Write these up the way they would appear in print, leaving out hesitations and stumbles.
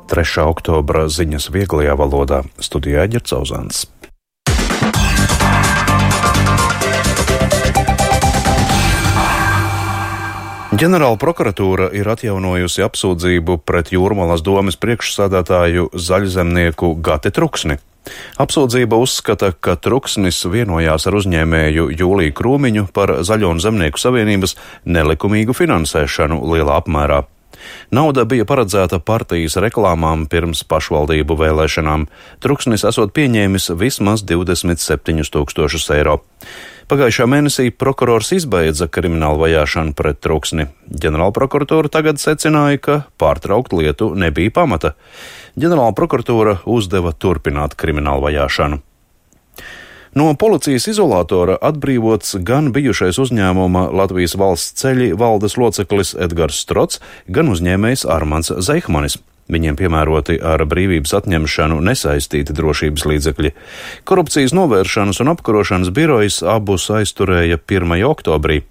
3. oktobra ziņas vieglajā valodā. Studijā Ģerts Ozāns. Ģenerāla prokuratūra ir atjaunojusi apsūdzību pret Jūrmalas domes priekšsādātāju zaļzemnieku Gati Truksni. Apsūdzība uzskata, ka Truksnis vienojās ar uzņēmēju Jūliju Krūmiņu par Zaļo un Zemnieku savienības nelikumīgu finansēšanu lielā apmērā. Nauda bija paredzēta partijas reklāmām pirms pašvaldību vēlēšanām. Truksnis esot pieņēmis vismaz 27 000 eiro. Pagājušā mēnesī prokurors izbeidza kriminālu vajāšanu pret Truksni. Ģenerāla prokuratūra tagad secināja, ka pārtraukt lietu nebija pamata. Ģenerāla prokuratūra uzdeva turpināt kriminālu vajāšanu. No policijas izolatora atbrīvots gan bijušais uzņēmuma Latvijas valsts ceļi valdes loceklis Edgars Strots, gan uzņēmējs Armands Zeihmanis. Viņiem piemēroti ar brīvības atņemšanu nesaistīti drošības līdzekļi. Korupcijas novēršanas un apkarošanas birojas abus aizturēja 1. oktobrī.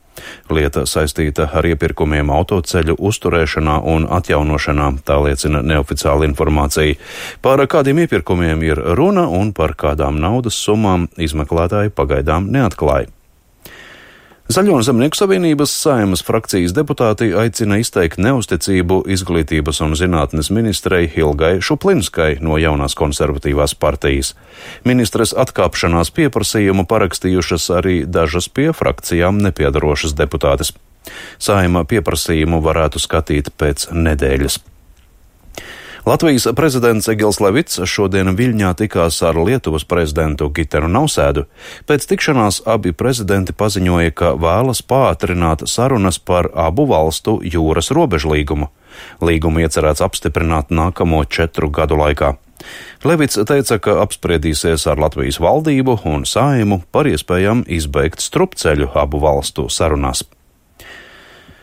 Lieta saistīta ar iepirkumiem autoceļu uzturēšanā un atjaunošanā, tā liecina neoficiāla informācija. Par kādiem iepirkumiem ir runa un par kādām naudas summām izmeklētāji pagaidām neatklāja. Zaļo un Zemnieku savienības Saeimas frakcijas deputāti aicina izteikt neusticību izglītības un zinātnes ministrei Hilgai Šuplinskai no jaunās konservatīvās partijas. Ministres atkāpšanās pieprasījumu parakstījušas arī dažas pie frakcijām nepiedarošas deputātes. Saeima pieprasījumu varētu skatīt pēc nedēļas. Latvijas prezidents Egils Levits šodien Viļņā tikās ar Lietuvas prezidentu Gitanu Nausēdu. Pēc tikšanās abi prezidenti paziņoja, ka vēlas pātrināt sarunas par abu valstu jūras robežlīgumu. Līgumu iecerēts apstiprināt nākamo 4 gadu laikā. Levits teica, ka apspriedīsies ar Latvijas valdību un Saeimu par iespējām izbeigt strupceļu abu valstu sarunās.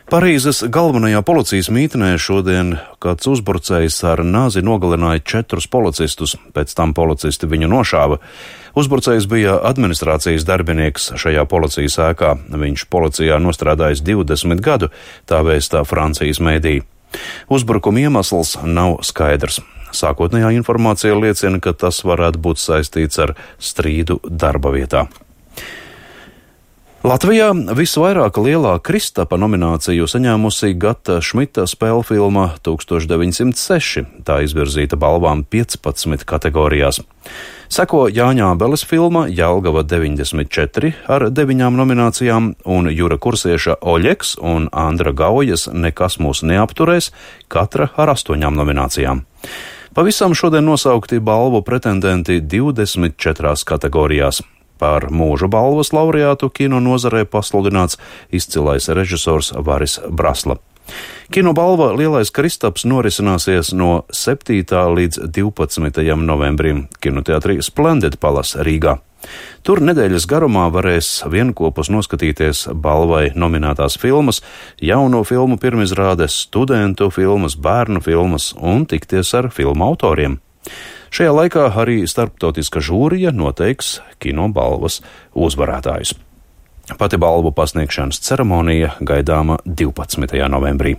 Parīzes galvenajā policijas mītnē šodien kāds uzbrucējs ar nāzi nogalināja 4 policistus, pēc tam policisti viņu nošāva. Uzbrucējs bija administrācijas darbinieks šajā policijas ēkā. Viņš policijā nostrādājis 20 gadu, tā vēstā Francijas mēdī. Uzbrukuma iemesls nav skaidrs. Sākotnējā informācija liecina, ka tas varētu būt saistīts ar strīdu darba vietā. Latvijā visvairāk lielā Kristapa nomināciju saņēmusi Gata Šmita spēlfilma 1906. Tā izvirzīta balvām 15 kategorijās. Seko Jāņa Ābeles filma Jelgava 94 ar 9 nominācijām un Jura Kursieša Oļeks un Andra Gaujas Nekas mūs neapturēs, katra ar 8 nominācijām. Pavisam šodien nosaukti balvu pretendenti 24 kategorijās. Par mūža balvas laureātu kino nozarē pasludināts izcilais režisors Varis Brasla. Kino balva Lielais Kristaps norisināsies no 7. līdz 12. novembrim kinoteātrī Splendid Palace Rīgā. Tur nedēļas garumā varēs vienkopus noskatīties balvai nominētās filmas, jauno filmu pirmizrādes, studentu filmas, bērnu filmas un tikties ar filmu autoriem. Šajā laikā arī starptautiska žūrija noteiks kino balvas uzvarētājus. Pati balvu pasniegšanas ceremonija gaidāma 12. novembrī.